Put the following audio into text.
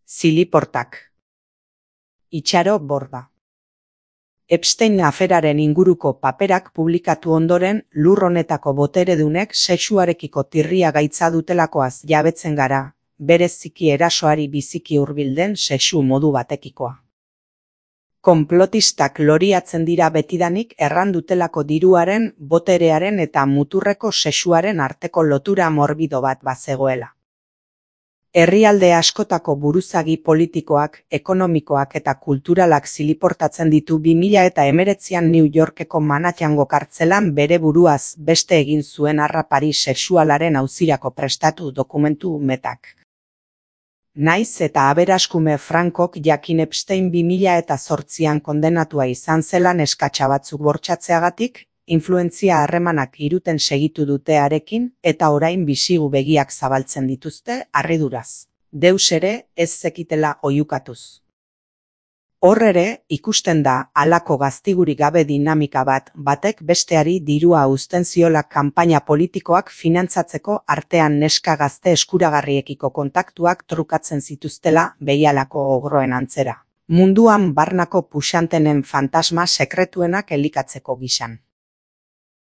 Ziliportak. Itxaro Borda. Epstein aferaren inguruko paperak publikatu ondoren, lur honetako boteredunek sexuarekiko tirria gaitza dutelakoaz jabetzen gara, bereziki erasoari biziki hurbilden sexu modu batekikoa. Konplotistak loriatzen dira betidanik errandutelako diruaren, boterearen eta muturreko sexuaren arteko lotura morbido bat bazegoela. Herrialde askotako buruzagi politikoak, ekonomikoak eta kulturalak ziliportatzen ditu 2019an New Yorkeko Manhattango kartzelan bere buruaz beste egin zuen harrapari sexualaren auzirako prestatu dokumentu metak. Naiz eta aberaskume Frankok jakin Epstein 2008an kondenatua izan zela neskatxa batzuk bortxatzeagatik, influentzia harremanak iruten segitu dute harekin eta orain bisigu begiak zabaltzen dituzte harriduraz. Deus ere ez zekitela oihukatuz. Hor ere, ikusten da halako gaztigurik gabe dinamika batek besteari dirua uzten ziola kanpaina politikoak finantzatzeko artean neska gazte eskuragarriekiko kontaktuak trukatzen zituztela behialako ogroen antzera. Munduan barnako puxantenen fantasma sekretuenak elikatzeko gisan.